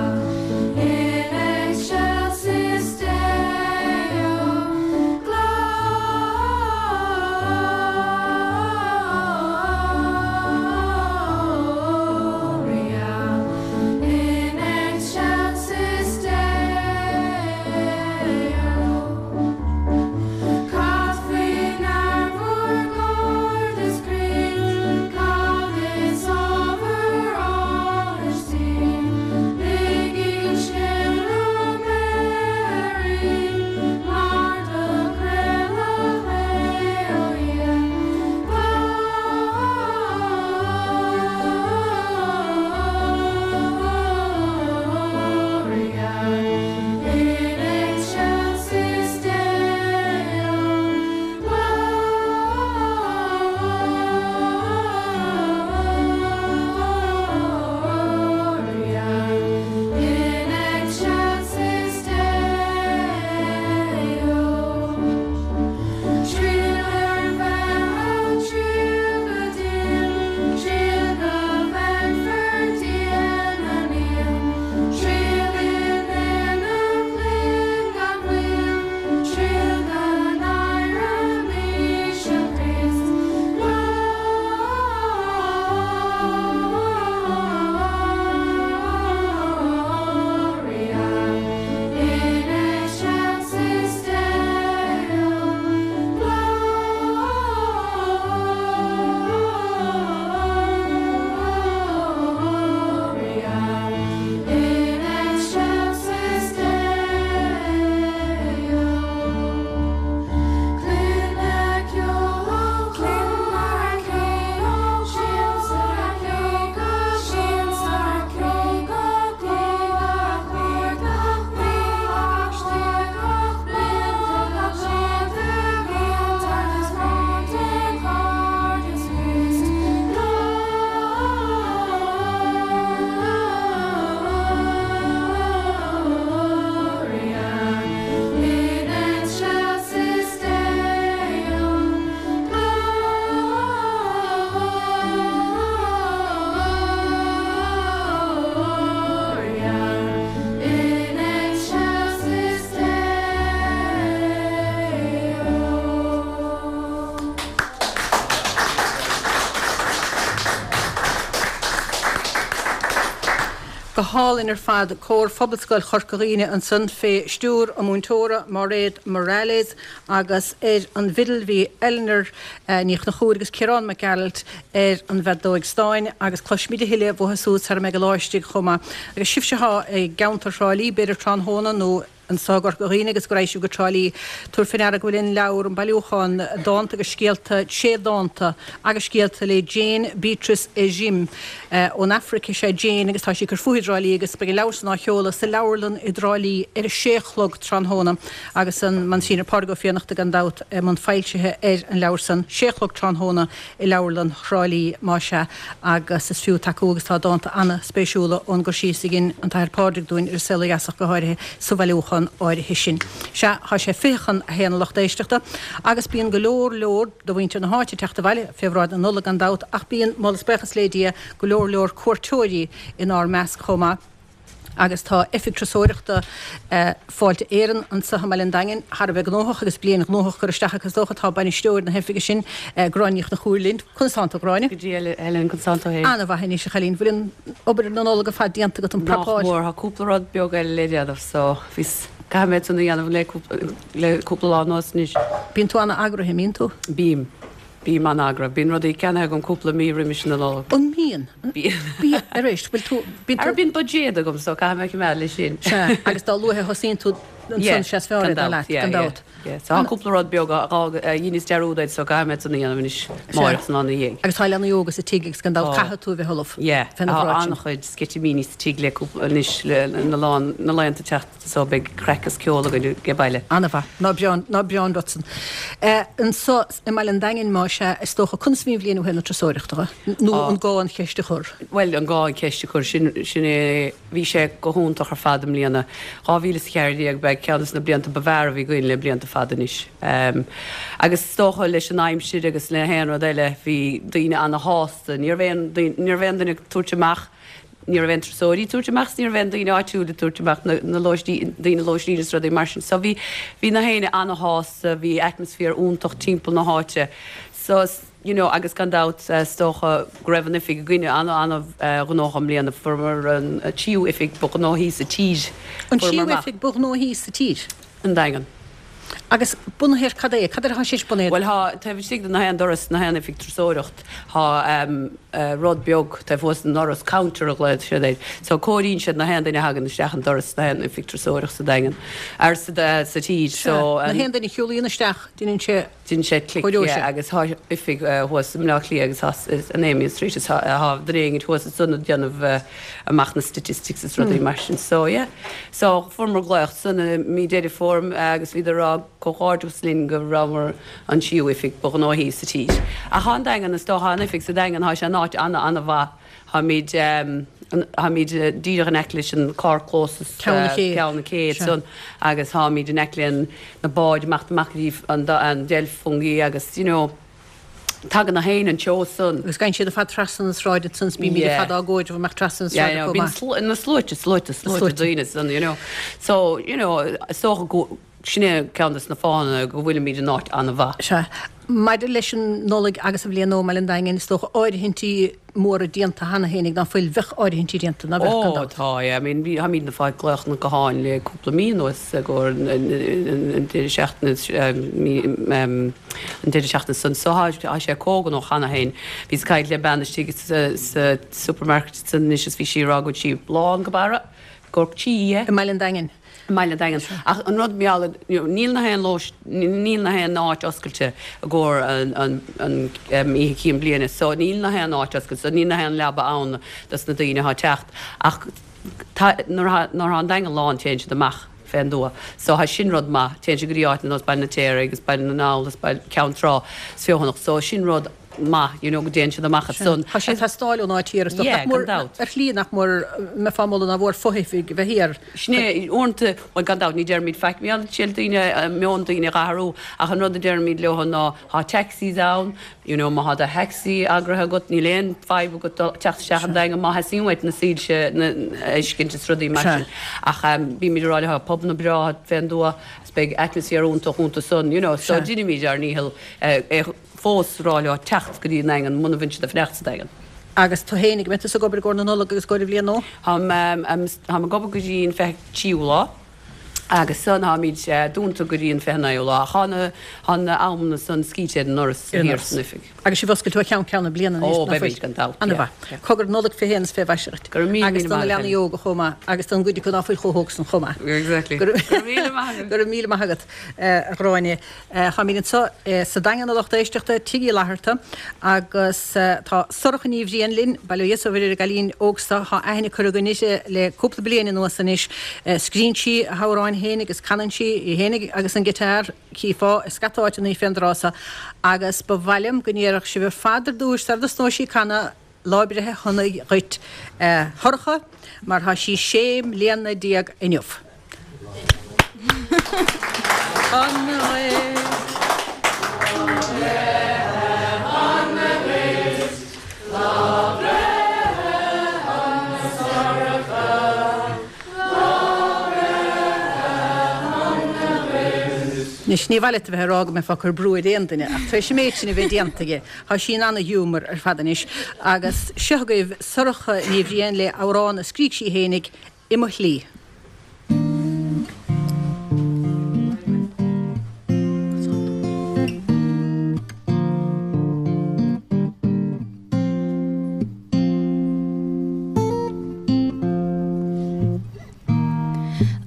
hálainn ar fad, Cór Phobalscoil Chorca Dhuibhne ansan fé stiúir a múinteora Máiréad Morales agus ar an bhfidil bhí Eleanor Ní Chonchúir agus Ciarán Mac Gearailt ar an bhfeadóig stáin agus cloisfimid a thuilleadh uathu súd sara mbeidh an lá istigh chomh maith. Agus sibhse atá i gceantar Thrá Lí, b'fhéidir tráthnóna nó anseo i gCorca Dhuibhne agus go raghaidh sibh go Trá Lí, tabhair fé ndeara go bhfuil an leabhar, an bailiúchán dánta agus scéalta, sé dánta agus scéalta le Jane Beatrice Ejim. Ón Afraic is ea Jane agus tá sí ag cur fúithi i dTrá Lí agus beidh an leabhar san á sheoladh sa leabharlann i dTrá Lí ar a sé a chlog tráthnóna agus an Monsignor Pádraig Ó Fiannachta gan dabht i mbun foilsithe ar an leabhar san, sé a chlog tráthnóna i leabharlann Thrá Lí más ea agus is fiú tacú agus tá dánta ana-spéisiúla ón gcur síos a dhein an tAthair Pádraig dúinn ar an saol ó dheas ach go háirithe sa bhailiúchán áirithe sin. Sea, tá sé 12:40 a lucht éisteachta agus bíonn go leor leor de mhuintir na háite ag teacht abhaile fé bhráid na Nollag gan dabht ach bíonn, moladh is buíochas le Dia, go leor leor cuairteoirí inár measc chomh maith. Agus tá Oifig Turasóireachta Fáilte Éireann anseo i mBaile an Daingin thar a bheith gnóthach agus bliain ghnóthach curtha isteach acu is dócha. Tá bainisteoir na hoifige sin, Gráinne Ní Chonchúir linn. Conas tánn tú, a Ghráinne? Go dtí a Helen, conas tánn tú féin? An-mhaith anois, a chailín. Bhfuil an obair na Nollag ar fad déanta agat, an Nach prapáil? mór, tá cúpla rud beag eile le déanamh so bhíos, caithfidh mé san a dhéanamh le cúpla, le cúpla lá anuas anois. Bíonn tú an-eagraithe, an mbíonn tú? Bím. Bím an-eagraithe. Bíonn rudaí ceannaithe agam cúpla mí roimis na Nollag. An mbíonn? Bíonn. Bíonn. Arís, bhfuil tú, bíonn tú. Ara bíonn buiséad agam so caithfidh mé coimeád leis sin. Sea, agus dá luaithe a thosaíonn tú ansan sea is fearr é, dar leat, gan dabht. Yeah, so tá cúpla rud beag a dheineas dearúd air so caithfidh mé san a dhéanamh anois amáireach is an lá ina dhiaidh. Agus tá leanaí óga sa tigh agus gan dabht caithfidh tú a bheith ullamh Yeah, fé na tá bhráid sin. an-chuid sceitimíní sa tigh le cúpla, anois le na lá, na laethanta teacht. So beidh craic is ceol againn age baile. Ana-mhaith. Ná breán, ná breán duit san. Anso i mBaile an Daingin, más ea, is dócha, conas a bhí an bhliain ó thaobh na turasóireachta dhe? Nó an gá an cheist a chur? Bhuel, an gá an cheist a chur, sin, sin é. Bhí sé go hiontach ar fad i mbliana. 2014, b'é ceann des na blianta ba bhfearr a bhí againn le blianta fada anois. Agus is dócha leis an aimsir agus le haon rud eile, bhí daoine ana-shásta. Ní raibh aon, ní raibh aon duine ag tabhairt amach, Ní raibh aon turasóirí ag tabhairt amach is ní raibh aon daoine áitiúil ag tabhairt amach na lóistín, daoine lóistín is rudaí mar sin. So bhí, bhí na héinne ana-shásta, bhí atmaisféar iontach timpeall na háite. So, you know, agus gan dabht is dócha go raibh an oifig againne ana, ana-ghnóthach i mbliana. Fuaireamar an tríú oifig ba ghnóthaí sa tír. An tríú oifig ba ghnóthaí sa tír? An Daingean. Agus bunaithe ar cad é? Cad air atá sé bunaithe? Bhuel thá, taobh istigh de na haon doras, na haon oifig turasóireacht, thá rud beag taobh thuas den ndoras, counter a ghlaod siad air. So comhairíonn siad na haon duine a thagann isteach an doras na haon oifig turasóireacht sa Daingean, ar sa tír. So. Na haon duine a shiúlaíonn isteach, déanann sé. Déanann sé clic, yeah, agus thá oifig thuas i mBleá Cliath agus thá in Amiens Street is thá duine éigint thuas ansan ag déanamh amach na statistics is rudaí mar sin. So, yeah. So, fuaireamar glaoch san i mí Deireadh Fómhair agus bhíodar ag rá comhghairdeachas linn go rabhamar an tríú oifig ba ghnóthaí sa tír. Ach thá an Daingean, is dócha, thá an oifig sa Daingean, thá sé in áit ana-ana-mhaith. Táimid, táimid díreach in aice leis an carrchlós is Ceann na Cé. Ceann na Cé ansan agus táimid in aice le na báid amach amach go dtí an an Delph Fungie agus you know tagann na héinne an treo san. Agus gabhann siad ar fad trasna na sráide ansan is bímid ar fad á gcomhaireamh amach trasna na Yeah, sráide yeah, chomh bíonn maith. slu- na sluaite, sluaite, sluaite daoine ansan, you know. So, you know, is dócha go, Sin é ceann des na fáthanna go bhfuilimid in áit an-mhaith. Sea. Maidir leis an Nollaig agus an Bhliain Nua i mBaile an Daingin, is dócha áirithintí móra déanta cheana féin ag ná fuil, bheadh áirithintí déanta, ná bheadh, gan Ó, dabht. tá, yeah. I mean, bhí, táimid ag fáil glaochanna gutháin le cúpla mí anuas i gcomhair an deireadh seachtaine, mí, an deireadh seachtaine san. So tá, tá sé chomh gnóthach cheana féin. Bhíos ag caint le bean istigh sa, sa supermarket ansan anois is bhí sí ag rá go bhfuil sí lán go barra, i gcomhair tí, yeah. I mBaile an Daingin. i mBaile an Daingin. Ach an rud mar gheall, you know, níl na haon lóis, níl na haon áit oscailte i gcomhair an, an, an oíche cinn bliana so níl na haon áit oscailte, so níl na haon leaba ann dos na daoine atá ag teacht. Ach tá, nuair atá, nuair atá an Daingean lán téann siad amach fén dtuath. So tá sin rud maith, téann siad go dtí áit ar nós Baile an Fheirtéaraigh agus Baile na nGall agus Baile, Ceann Trá is Feothanach. So sin rud maith, you know, go dtéann siad amach ansan. Tá sé ag teastáil ón áit thiar, is dócha. Yeah, Nach mór, gan dabht. ar shlí nach mór, mbeifeá ag moladh nár mhór fo-oifig a bheith thiar. Sin é, uaireanta, bhuel gan dabht ní deirimid faic, mar gheall daoine, meon daoine a athrú, ach an rud a deirimid leo ná tá taxis ann, you know, má tá do thaxi eagraithe agat, níl aon fadhb agat dul, teacht isteach an Daingean má theastaíonn uait na soilse a fheiscint is rudaí mar sin. Ach bímid ag rá leo, tá pubanna breátha fén dtuath, is beidh atmaisféar iontach iontu san, you know, so deinimid ár ndícheall é fós rá leo teacht go dtí an Daingean muna bhfuil siad ag fanacht sa Daingean. Agus tú fhéinig, an mbeidh tusa ag obair i gcomhair na Nollag agus i gcomhair an Bhliain Nua? Táim ag obair go dtí an 23ú lá agus san táimid dúnta go dtí an 29ú lá. Ach tá na amanna san scríte ar an ndoras thiar san oifig. Agus sibh oscailte ó cheann ceann na bliana anois, Ó, beimid, gan dabht, yeah. An-mhaith. Cogar Nollaig fé shéan is fé mhaise dhuit. Go raibh míle Agus míle do na maith agat, leanaí Helen. óga chomh maith, agus don gcuid acu ná fuil chomh hóg san chomh maith. Exactly. Go raibh míle maith agat. Go raibh míle maith agat, a Ghráinne. Táimid anseo sa Daingean a lucht éisteachta, Tigh Uí Fhlatharta, agus tá Sorcha Ní Bhriain linn, bail ó Dhia is ó Mhuire ar an gcailín óg seo, tá aithne curtha againn uirthi le cúpla bliain anuas anois. Scríonn sí a hamhráin féin agus canann sí í féin agus an giotár, chífeá i scata áiteanna í fén dtráth seo, agus ba mhaith liom go ndéarfadh sibh ar fad ar dtúis sara dtosnóidh sí ag canadh, Lá breithe shona dhuit a Shorcha mar tá sí 16 mbliana inniu. Anois, ní mhaith leat a bheith ag rá go mbeifeá ag cur brú ar aon duine, ach tar éis an méid sin a bheith déanta aige, tá sí in ana-ghiúmar ar fad anois. Agus seo agaibh Sorcha Ní Bhriain le amhrán a scrígh sí fhéinig, I Mo Shlí.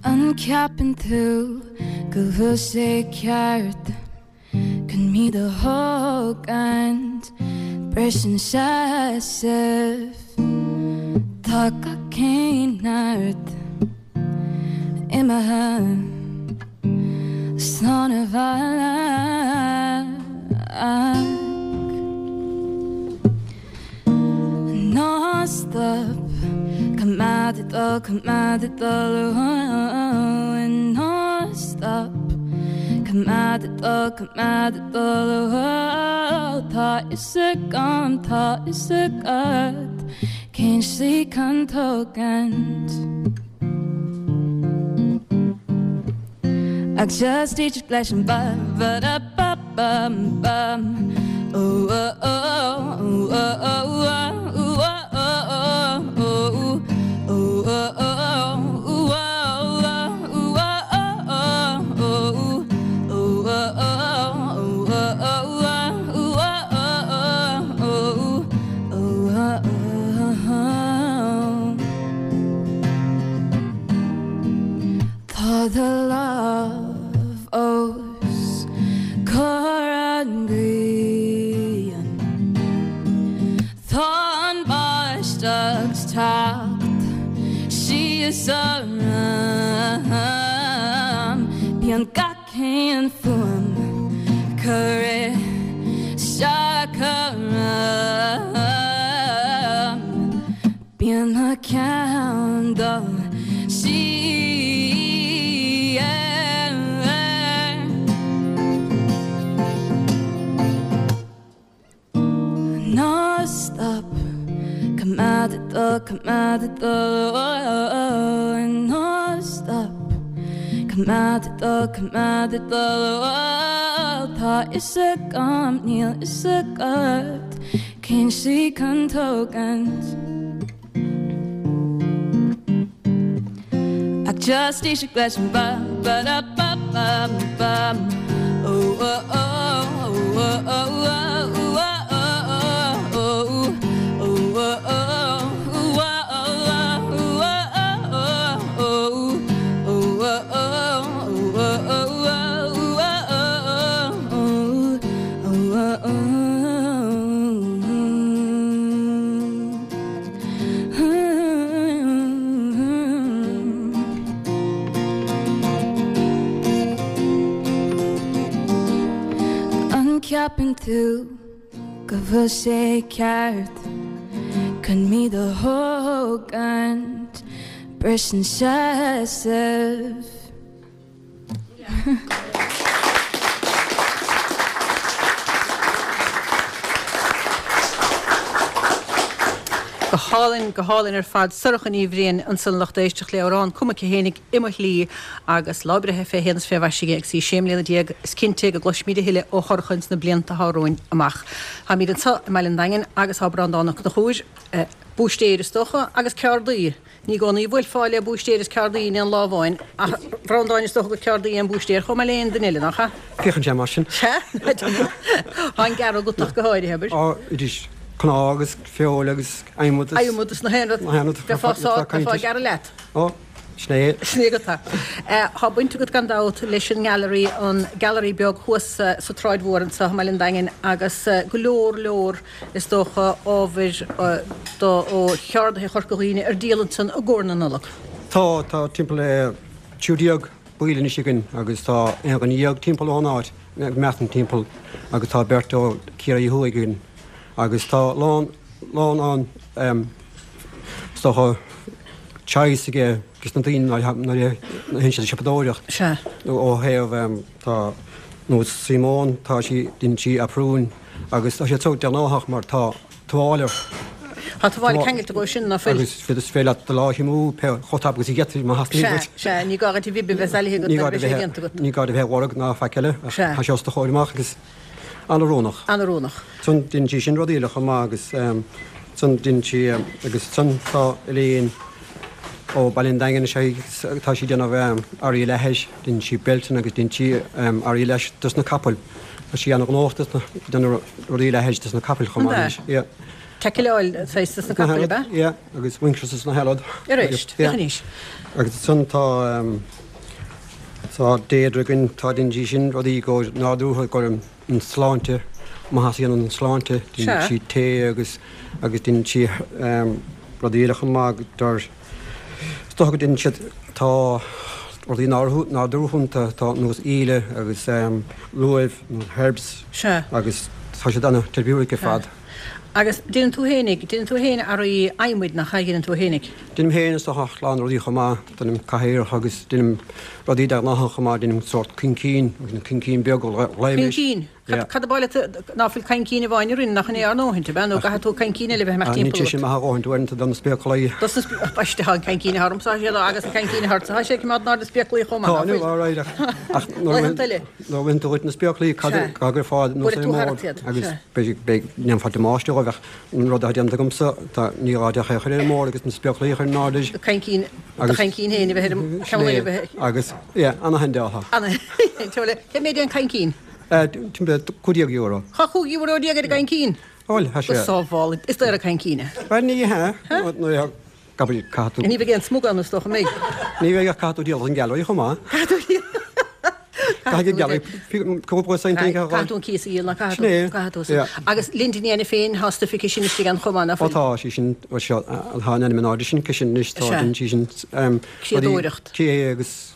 An gceapann tú go bhfuil sé ceart chun mé do thógaint Briseann seasamh Tá gach aon neart imithe Slán abhaile Ná stop Coimeád ag dul, coimeád ag dul Ná stop Coimeád ag dul, coimeád ag dul Tá fhios agam, tá fhios agat Cén slí chun tógaint Ach just éisteacht leis an ba ba da ba ba ba oh oh oh oh oh oh oh oh oh oh Tá do lámh os comhair an ghrian Tá an báisteach ag teacht síos orm Bíonn gach aon fuaim ag cur isteach orm Bíonn mo cheann ag dul siar. Ná stop, coimeád ag dul, coimeád ag dul, Ná stop, coimeád ag dul, coimeád ag dul, Tá fhios agam, níl fhios agat. Cén slí chun tógaint? Ach just éisteacht leis an ba ba da ba ba ba oh oh oh oh oh oh oh oh oh oh An gceapann tú go bhfuil sé ceart chun mé do thógaint Briseann seasamh. Go hálainn, go hálainn ar fad. Sorcha Ní Bhriain ansan lucht éisteachta le amhrán cumtha aici fhéinig, I Mo Shlí agus lá breithe fé shéan is fé mhaise aici agus í sé mbliana déag. Is cinnte go gcloisfimid a thuilleadh ó Shorcha ins na blianta atá romhainn amach. Táimid anso i mBaile an Daingin agus tá Breandán Ó Conchúir, búistéir is dócha, agus ceardaí. Ní i gcónaí a bhuailfeá le búistéir is ceardaí in aon lá amháin, ach a Bhreandáin, is dócha gur ceardaí é an búistéir chomh maith le aon duine eile, nach ea? Féachann sé mar sin. Sea? Tá an gearradh agat ach go háirithe, abair. Á, arís, cnámh agus feoil agus adhmad is. Adhmad is na haon rud. Na haon rud. Bheifeá sá, bheifeá ag gearradh leat. Á, sin é. Sin é agat é. Tá baint agat gan dabht leis an nGallery, an Gallery beag thuas sa tSráid Mhór anseo i mBaile an Daingin agus go leor leor is dócha, ábhair do ó cheardaithe Chorca Dhuibhne ar díol ansan i gcomhair na Nollag. Tá, tá timpeall le 13 baill anois againn agus tá aon dhuine dhéag timpeall ón áit, measaim timpeall, agus tá beirt ó Ciarraí Thuaidh againn agus tá lán, lán an, is dócha, choice aige dos na daoine nuair a théann siad ag siopadóireacht. Sea. Ó thaobh, tá, nós Simone, tá sí, deineann sí aprúin, Agus tá sé so dea-ghnáthach mar tá tuáille. Tá tuáille ceangailte dhó sin, ná fuil? Agus is féidir leat do lámh a shuimiú pé chomh tapa agus a gheofar má theastaíonn uait. Sea, sea, ní gá duit an bhib a bheith salaithe agat nuair a bheidh sé déanta agat. Ní gá duit a bheith ag lorg ná faic eile. Sea. Tá sé os do chomhair amach agus an-oiriúnach. An-oiriúnach. Ansan deineann sí sin rudaí eile chomh maith agus ansan deineann sí agus ansan tá Elaine ó Baile an Daingin is ea tá sí ag déanamh earraí leathair, deineann sí beilteanna agus deineann sí earraí leighis dos na capaill. Tá sí an-ghnóthach dos na, déanamh rudaí leathair dos na capaill chomh maith anois. Yeah. Tackle saghas dos na capaill, ab ea? Yeah, agus winches is na healad. Arís, féach anois. Agus ansan tá, tá Deirdre againn, tá deineann sí sin rudaí go nádúrtha go an sláinte, maitheas a dhéanann don tsláinte, deineann sí tae agus, agus deineann sí rudaí eile chomh maith, Is dócha go deineann siad, tá rudaí nádúrtha iontu, tá nós íle agus luaimh nó herbs agus tá siad an-therapeutic ar fad. Agus déanann tú fhéinig, déanann tú fhéin earraí adhmaid nach ea, dhéanann tú fhéinig? Déanaim féin is dócha a lán rudaí chomh maith, déanaim cathaoireacha agus déanaim rudaí deaghnácha chomh maith, déanaim sórt coincín, coincín beag a ghlaoimis. Coincín? Cad ab áil leat ná fuil coincín amháin a rinne nach in é ár ndóthaint, ab ea? Nó gcaithfidh tú coincín eile a bheith amach timpeall Níl sé sin maith a dhóthaint uaireanta do na spéaclaí. Dos na spéaclaí, baiste, tá an coincín atá ormsa, tá sé agus an coincín atá ortsa, tá sé ag coimeád in airde na spéaclaí chomh maith, ná fuil? Tá, alright, ach nuair a bhaineann tú dhuit na spéaclaí, cad a gcuirfeá anuas ar an mbord agus beidh, ndéanfá damáiste dhóibh ach an rud atá déanta agamsa, tá, ní gá duit ach é a chur ar an mbord agus na spéaclaí a chur in airde. Do choincín, do choincín féin a bheith ar an ceann eile a bheith. Agus, yeah, ana-handy atá. Ana-handy. Cé mhéad é an coincín? Timpeall €15. Tá €15 ar an gcoincín? Bhuel, tá sé. Go sábhála, is daor an coincín é. Bhuel, ní hea. Nuair a caithfidh tú. Ní bheidh aon smug ann, is dócha, an mbeidh? Ní bheidh ach caithfidh tú díol don Gallery chomh maith. Caithfidh tú díol. Caithfidh an Gallery cúpla cent a fháil. Caithfidh tú an cíos a dhíol, ná caithfidh tú? Caithfidh tú. Agus Linda Ní Ainiféin féin, tá stuif aici sin istigh ann chomh maith, ná fuil? Ó tá sí sin, seo, tá an ainm in airde sin aici sin anois, tá sí sin. Criadóireacht. Cré agus.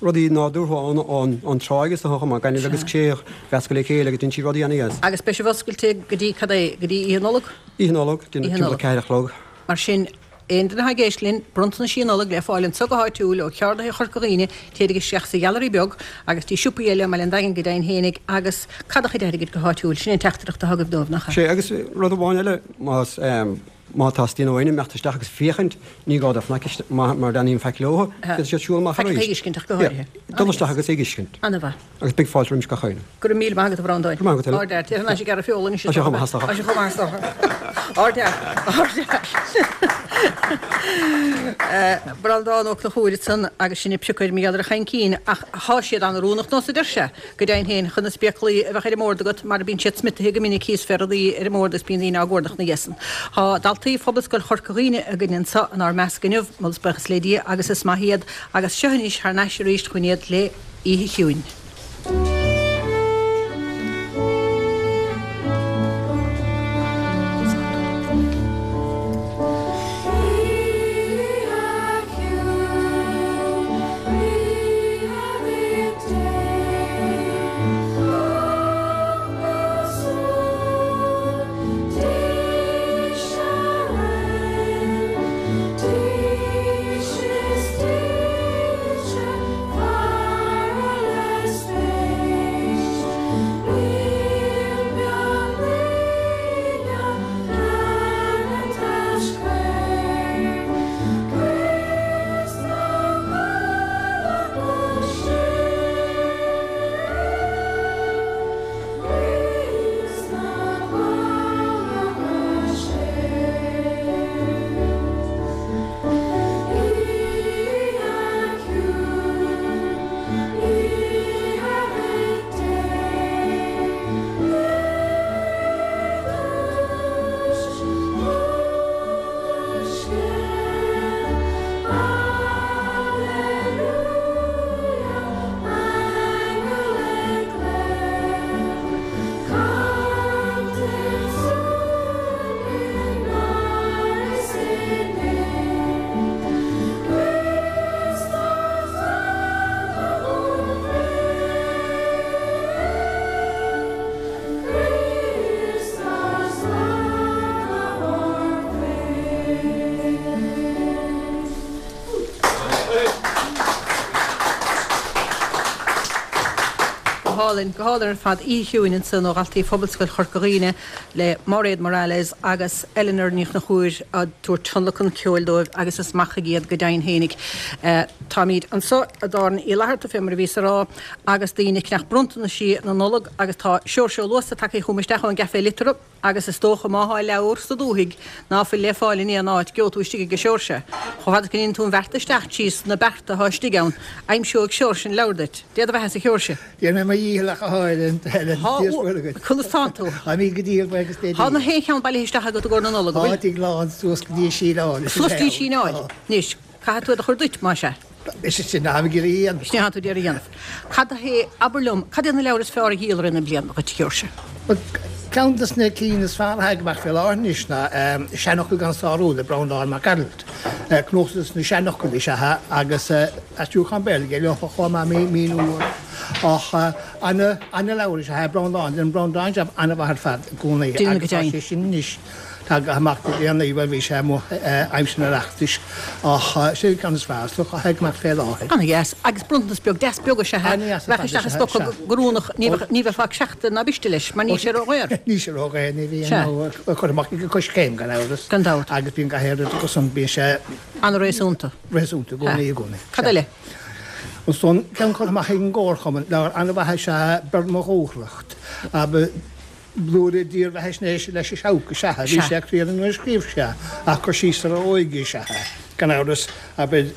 rudaí nádúrtha ón tráigh is dócha chomh maith, gaineamh agus cré a mheascadh le chéile agus déanann sí rudaí ana-dheas. Agus beidh sibh oscailte go dtí cad é, go dtí Oíche Nollag? Oíche Nollag, timpeall 4 a chlog. Mar sin, aon duine atá ag éisteacht linn, bronntanaisí Nollag le fáil anseo go háitiúil ó cheardaithe Chorca Dhuibhne, téirig isteach sa Gheallery Beag agus dtí siopaí eile i mBaile an Daingin go deimhin fhéinig agus cad a chuid airgid go háitiúil, sin é an teachtaireacht atá agaibh dóibh, nach ea? Sea, agus rud amháin eile, más. Má theastaíonn ó éinne imeacht isteach agus féachaint, ní gá dóibh fanacht mar ní bhíonn faic leo, féadfaidh siad siúl amach arís. Faic ag fheiscint ach go háirithe. Dul isteach agus ag fheiscint. Ana-mhaith. Agus beidh fáilte roimis gach éinne. Go raibh míle maith agat a Bhreandáin. Go raibh maith agat Helen. Ardfhear. Téir thar n-ais ag gearradh feola anois. Tá sé chomh maith is dócha. Tá sé chomh maith is dócha. Ardfhear. Ardfhear. Breandán Ó Conchúir ansan agus sinn ag piocadh ar mar gheall ar an choincín ach thá siad an-oiriúnach nós a deir sé. Go deimhin féin, chun na spéaclaí a bheadh ar an mbord agat, mar bíonn siad smiotaithe go minic thíos fé rudaí ar an mbord is bíonn daoine á gcuardach ina dhiaidh san. Tá daltaí Phobalscoil Chorca Dhuibhne againn anso inár measc inniu, moladh is buíochas le Dia agus is maith iad, agus seo anois thar n-ais arís chugainn iad le Oíche Chiúin. hálainn, go hálainn ar fad. Oíche Chiúin ansan ó dhaltaí Phobalscoil Chorca Dhuibhne le Máiréad Morales agus Eleanor Ní Chonchúir ag tabhairt tionlacan ceoil dóibh agus is maith chuige iad go deimhin fhéinig. Táimíd anso i dTábhairne Uí Fhlatharta fé mar a bhíos a rá agus daoine ag ceannach bronntanaisí na Nollag agus tá Seoirse Ó Luasa tagtha chugam isteach ón gCafé Liteartha. Agus is dócha má thá leabhar sa dúthaigh ná fuil le fáil in aon áit, geobhaidh tú istigh aige Seoirse. Chomh fada is go ndéanann tú an bheart isteach tríos na bearta athá istigh ann, aimseoidh Seoirse an leabhar duit. Dé do bheathasa a Sheoirse. Déanfaidh mé mo dhícheall ach a Helen, Dia is Muire dhuit. Conas tánn tú? Táimid go diail, buíochas Dé Thá na haon cheann bailithe isteach agat i gcomhair na Nollag, an bhfuil? Tá, tigh lán suas go dtí an síleáil. Suas go dtí an síleáil. Anois, caithfidh tú iad a chur duit, más ea. Is é sin atáim ag iarraidh a dhéanamh. Sin é atá tú ag iarraidh a dhéanamh. Cad é, abair liom, cad iad na leabhair is fearr a dhíol i rith na bliana dhuit, a Sheoirse? Bhuel, ceann des na cinn is fearr atá ag imeacht fé láthair anois ná Seanfhocail gan Sárú le Breandán Mac Gearailt. Cnuasach des na seanfhocail is ea é agus aistriúchán Béarla aige leo chomh maith, míniú orthu. Ach ana-leabhar is ea é Breandán. Déanann Breandán jab an-mhaith ar fad i gcónaí agus tá sé sin anois. Tagtha amach le déanaí, bhuel bhí sé amuigh aimsir an Oireachtais ach sin an ceann is fearr is dócha atá ag imeacht fé láthair. Ana-dheas. Agus bronntanas beag deas beag is ea é. Ana-dheas ar Bheadh fad isteach is i ea, stoca sea. go oiriúnach, ní bheadh, ní bheifeá ag seachtain ná b'iste leis, mar níl sé ró-dhaor. Níl sé ró-dhaor, ní bhíonn, Sea. nó curtha amach ag Coiscéim gan amhras. Gan dabht. Agus bíonn gach aon rud acu san, bíonn sé. Ana-réasúnta. Réasúnta i gcónaí, i gcónaí. Cad eile? Ansan, ceann curtha amach ag an gComharchumann, leabhar an-mhaith is ea Beir mo Dhúthracht, ab. Blúire dírbheathaisnéise leis an Seabhac is ea é. Bhí sé críonna nuair a scríobh sé é, ach cur síos ar a óige is ea é. Gan amhras, abair,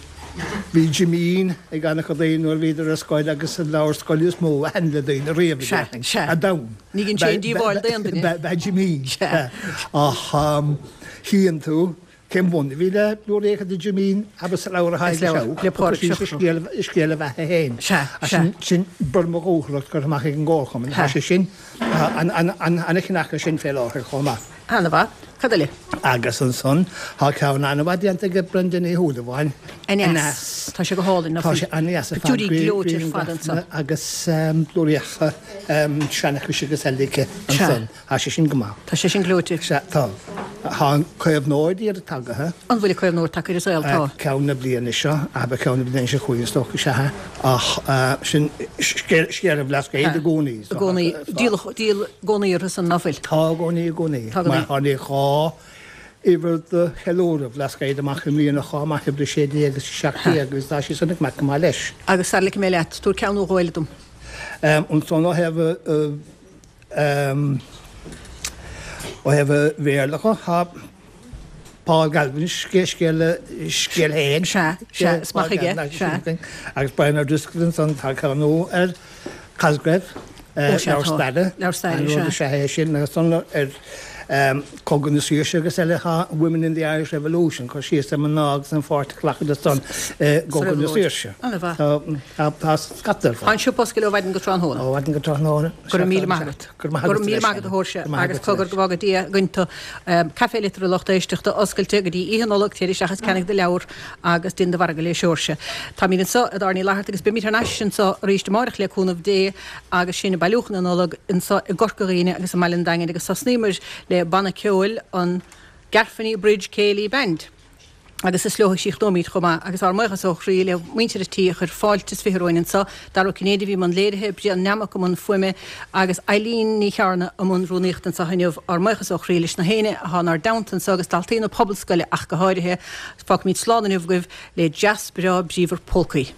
bhí Jimín ag an-chuid daoine nuair a bhíodar ar scoil agus an leabhar scoile is mó a thaitin le daoine riamh, a déarfainn, ar domhan. Ní dhein sé aon díobháil d'aon duine. Ba ea Jimín. Ach chíonn tú Cén bun a bhí le blúiríocha de Jimín abair sa leabhar atá ag an Seabhac, cur síos ar scéal a bheatha féin. Sin Beir mo Dhúthracht curtha amach ag an gComharchumann. Tá sé sin, ana-cheannach é sin fé láthair chomh maith. Ana-mhaith. Cad eile? Agus ansan tá ceann ana-mhaith déanta ag Brenda Ní Shúilleabháin, Aneas. Tá sé go hálainn. Tá sé ana-dheas ar fad. Pictiúirí gleoite ar fad ansan. Agus blúiríocha seanchais agus eile aici ansan. Tá sé sin go maith. Tá sé sin gleoite. Sea, tá. Tá an Caomhnóir d'iarraidh tagaithe. An bhfuil an Caomhnóir tagtha ar an saol? Tá. Ceann na bliana seo, abair ceann na bliana seo chugainn is dócha, is ea. Ach sin scéal an Bhlascaoid i gcónaí. I gcónaí. Díol, díol i gcónaí orthu san, ná fuil? Tá i gcónaí, i gcónaí. Tá i gcónaí. Mar tháinig uimhir de cheiliúradh Bhlascaoid amach i mbliana chomh maith, uimhir 16 agus 17 agus tá sí san ag imeacht go maith leis. Agus sara ligfidh mé leat, tabhair ceann nó dhó eile dom. Ansan ó thaobh. Ó thaobh an Bhéarla dhe, tá Paul Galvin, scéal scéal féin. Sea, sea, is maith aige, sea. Agus Brian O'Driscoll ansan, tá ceann nua ar Cosgrave, leabhar staire. Leabhar staire, sea. An rud is ea é sin, agus ansan ar Cogadh na Saoirse agus eile, tá Women in the Irish Revolution, cur síos ar mná agus an pháirt a ghlacadar san i gCogadh na Saoirse. Ana-mhaith. Tá scata ar fad. Tá an siopa oscailte ó mhaidin go tráthnóna. Ó mhaidin go tráthnóna. Go raibh míle maith agat. Go raibh maith agat. Go raibh míle maith agat a Sheoirse agus cogar go bhfága Dia againn tú. Café Liteartha lucht éisteachta oscailte go dtí Oíche Nollag, téir isteach is ceannaigh do leabhar agus déan do mhargadh le Seoirse. Táimid anseo i dTábhairne Uí Fhlatharta agus beimid thar n-ais anseo arís amáireach le cúnamh Dé agus sinn ag bailiúchán na Nollag anseo i gCorca Dhuibhne agus i mBaile an Daingin agus thosnaíomar le banna ceoil an Garthenny Bridge Céilí Band. agus is leo a chríochnóimid chomh maith, agus ár mbuíochas ó chroí le muintir an tí a chuir fáilte is 20 romhainn anseo, Dara Ó Cinnéide a bhí i mbun léirithe, Brian Nammock i mbun fuaime agus Eileen Ní Chearna i mbun rúnaíochta anseo inniu. Ár mbuíochas ó chroí leis na héinne atá inár dteannta anseo agus daltaí na Pobalscoile ach go háirithe. Fágfaimid slán inniu agaibh le deas breá bríomhar polcaí.